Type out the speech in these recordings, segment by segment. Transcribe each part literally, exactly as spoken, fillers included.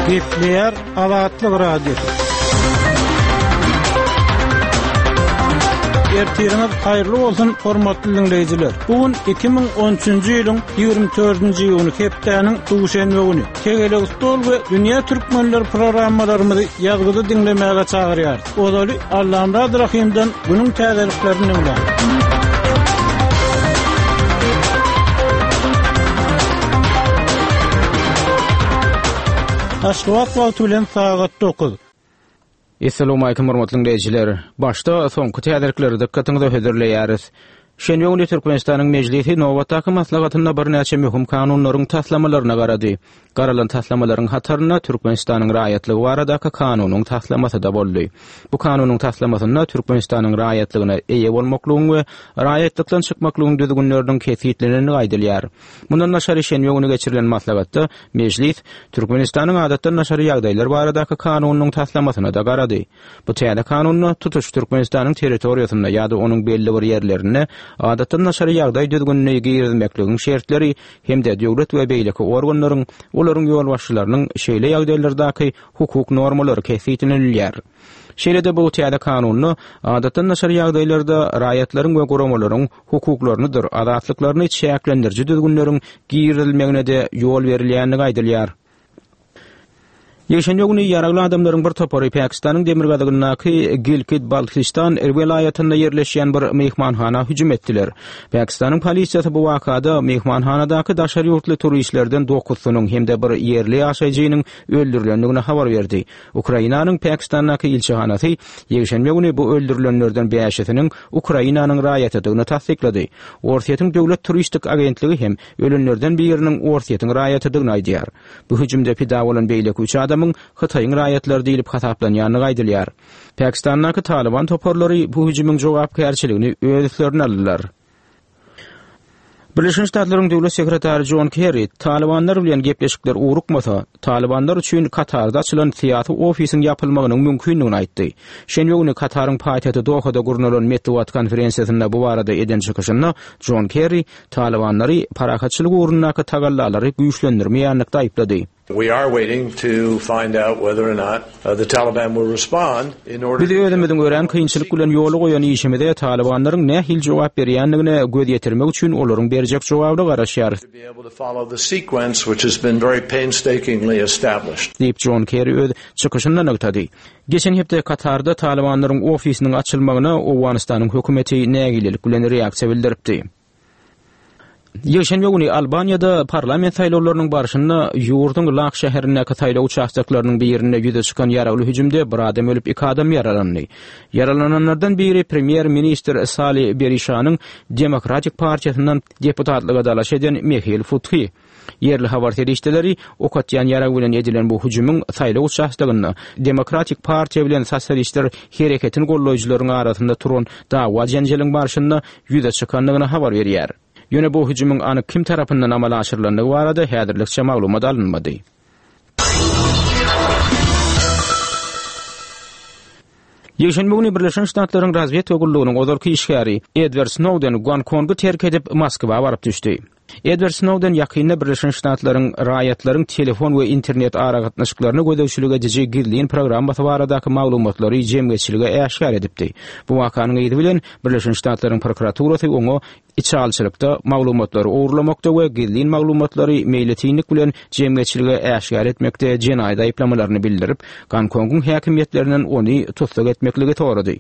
Gepleýär Azatlyk Radiosy. Ertiriňiz haýyrly bolsun, hormatly diňleýjiler. Bu gün iki müň on üçünji ýylyň ýigrimi dördünji iýuny, hepdäniň duşenbe güni. Tegelek stol we Dünýä Türkmenleri programmalarymyzy ýazgyda diňlemäge çagyrýarys. Ozaly Allamyrat Rahymdan günüň täzeliklerini diňläň. Aşgabat wagty bilen sagat dokuz. Assalamu alaykum hormatly dinleýjiler. Başda soňky täzelikleri dykgatyňyza hödürleýäris. Şenbe güni Türkmenistanyň Mejlisi nobatdaky maslahatynda birnäçe möhüm kanunlaryň taslamalaryna garady. Garalan taslamalaryň hatarynda Türkmenistanyň raýatlygy baradaky kanunyň taslamasy da boldy. Bu kanunyň taslamasynda Türkmenistanyň raýatlygyna eýe bolmaklygyň we raýatlykdan çykmaklygyň düzgünleriniň kesgitlenendigi aýdylýar. Mundan daşary şenbe güni geçirilen maslahatda Mejlis Türkmenistanyň adatdan daşary ýagdaýlar baradaky kanunyň taslamasyna da garady. Bu täze kanunda tutuş Türkmenistanyň territoriýasynda ýa-da onuň belli bir ýerlerinde adatdan daşary ýagdaý düzgünini girizmekligiň şertleri hem-de döwlet we beýleki organlaryň, olaryň ýolbaşçylarynyň şeýle ýagdaýlardaky hukuk normalary kesgitlenilýär. Şeýle-de bu täze kanunda adatdan daşary ýagdaýlarda raýatlaryň we guramalaryň hukuklarynydyr azatlyklaryny çäklendiriji düzgünleriň girizilmegine de ýol berilýändigi aýdylýar. Ýekşenbe güni ýaragly adamlaryň bir topary Pakistanyň demirgazygyndaky Gilgit-Baltistan welaýatynda ýerleşýän bir mehmanhana hüjüm etdiler. Pakistanyň polisiýasy bu wakada mehmanhanadaky daşary ýurtly turistlerden dokuzynyň hem-de bir ýerli ýaşaýjynyň öldürilendigini habar berdi. Ukrainanyň Pakistandaky ilçihanasy ýekşenbe güni bu öldürilenlerden bäşisiniň Ukrainanyň raýatydygyny tassyklady. Orsýetiň döwlet turistik agentligi hem ölenlerden biriniň Orsýetiň raýatydygyny aýdýar. Bu hüjümde pida bolan beýleki üç adamyň Hytaýyň raýatlary diýlip hasaplanýandygy aýdylýar. Pakistandaky Taliban toparlary bu hüjümiň jogapkärçiligini öz üstlerine aldylar. Birleşen Ştatlaryň Döwlet Sekretary John Kerry Talibanlar bilen gepleşikler ugrukmasa, Talibanlar üçin Katarda açylan syýasy ofisiň ýapylmagynyň mümkindigini aýtdy. Şenbe güni Kataryň paýtagty Dohada gurnalan metbugat konferensiýasynda bu barada eden çykyşynda John Kerry Talibanlary parahatçylyk ugrundaky tagallalary güýçlendirmeýänlikde aýyplady. We are waiting to find out whether or not, uh, the Taliban will respond in order Biz özümiziň örän kynçylyk bilen ýoly goýan işimize Talibanlaryň nähili jogap berýändigine göz ýetirmek üçin olaryň berjek jogabyna garaşýarys. To be able to follow the sequence which has been very painstakingly established. Diýip John Kerry öz çykyşynda nygtady. Geçen hepde Katarda Talibanlaryň ofisiniň açylmagyna Owganystanyň hökümeti nägilelik bilen reaksiýa bildiripdi. Ýekşenbe güni Albaniýada parlament saýlawlarynyň barşynda ýurduň Lak şäherindäki saýlaw uçastoklarynyň birinde ýüze çykan ýaragly hüjümde bir adam ölüp, iki adam ýaralandy. Ýaralananlardan biri premýer-ministr Sali Berişanyň Demokratik partiýasyndan deputatlyga dalaş eden Mehil Futhy. Ýerli habar serişdeleri ok atýan ýarag bilen edilen bu hüjümiň saýlaw uçastogynda Demokratik partiýa bilen sosialistler hereketini gollaýjylaryň arasynda turan dawa jenjeliň barşynda ýüze çykandygyny habar berýär. Ýöne bu hüjümiň anyk kim tarapyndan amala aşyrylandygy barada häzirlikçe maglumat alynmady. Ýekşenbe güni Birleşen Ştatlaryň razwedka gullugynyň ozalky işgäri Edward Snowden Gonkongy terk edip Moskwa baryp düşdi. Edward Snowden ýakynda Birleşen Ştatlaryň raýatlaryň telefon we internet aragatnaşyklaryna gözegçilik ediji gizlin programmasy baradaky maglumatlary jemgyýetçilige äşgär edipdi. Bu wakanyň yzy bilen Birleşen Ştatlaryň prokuraturasy oňa içalçylykda maglumatlary ogurlamakda we gizlin maglumatlary meýletinlik bilen jemgyýetçilige äşgär etmekde jenaýat aýyplamalaryny bildirip, Gonkongyň häkimiýetlerinden ony tussag etmekligi sorady.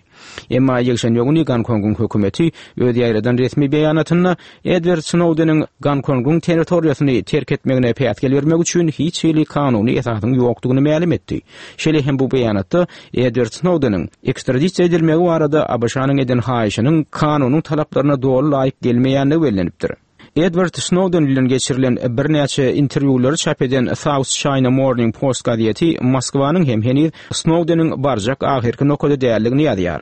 Emma ýekşenbe güni Gonkongyň hökümeti öz ýaýradan resmi beýanatynda Edward Snowdeniň Gonkongyň territoriýasyny terk etmegine päsgel bermek üçin hiç hili kanuny esasyň ýokdugyny mälim etdi. Şeýle hem bu beýanatda Edward Snowdeniň ekstradisiýa edilmegi barada A B Ş-nyň eden haýyşynyň kanunyň talaplaryna doly laýyk gelmeýändigi bellenipdir. Edward Snowden bilen geçirilen birnäçe interwýulary çap eden South China Morning Post gazeti Moskwanyň hem heniz Snowdeniň barjak ahyrky nokady däldigini ýazýar.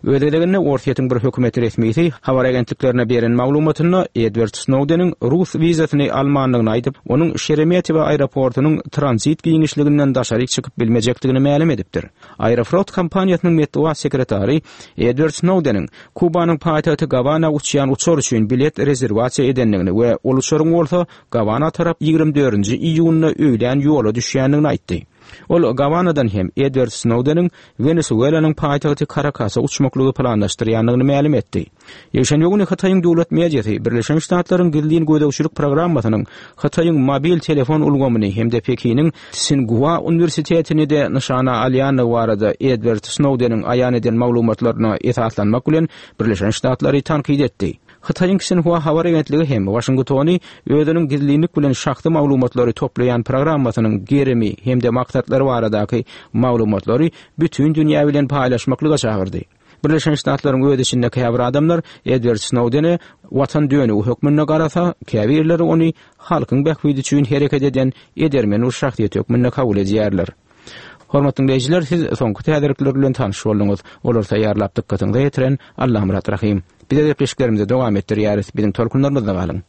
Öz gezeginde Orsýetiň bir hökümet resmisi habar agentliklerine beren maglumatynda Edward Snowdeniň rus wizasyny almandygyny aýdyp, onuň Şeremetýewo aeroportunyň tranzit giňişliginden daşary çykyp bilmejekdigini mälim edipdir. Aeroflot kompaniýasynyň metbugat sekretary Edward Snowdeniň Kubanyň paýtagty Gawana uçýan uçar üçin bilet rezerwasiýa edendigini we ol uçaryň bolsa Gawana tarap ýigrimi dördünji iýunda öýlän ýola düşýändigini aýtdy. Ol Gawanadan hem Edward Snowdeniň Wenesuelanyň paýtagty Karakasa uçmaklygy planlaşdyrýandygyny mälim etdi. Ýekşenbe güni Hytaýyň döwlet mediasy Birleşen Ştatlaryň gizlin gözegçilik programmasynyň Hytaýyň mobil telefon ulgamyny hem-de Pekiniň Tsinghua uniwersitetini-de nyşana alýandygy barada Edward Snowdeniň aýan eden maglumatlaryna esaslanmak bilen Birleşen Ştatlary tankyt etdi. Hytaýyň Xinhua habar agentligi hem Waşingtony özüniň gizlinlik bilen şahsy maglumatlary toplaýan programmasynyň gerimi hem-de maksatlary baradaky maglumatlary bütin dünýä bilen paýlaşmaklyga çagyrdy. Birleşen Ştatlaryň öz içinde käbir adamlar Edward Snowdene watan dönügi hökmünde garasa, käbirleri ony halkyň bähbidi üçin hereket eden edermen bir şahsyýet hökmünde kabul edýärler. Hormatly dinleýjiler, siz soňky täzelikler bilen tanyş bolduňyz. Olary taýýarlap dykgatyňyza ýetiren Allamyrat Rahym. Bize gepleşiklerimizi dowam etdirýäris. Biziň tolkunlarymyzda galyň.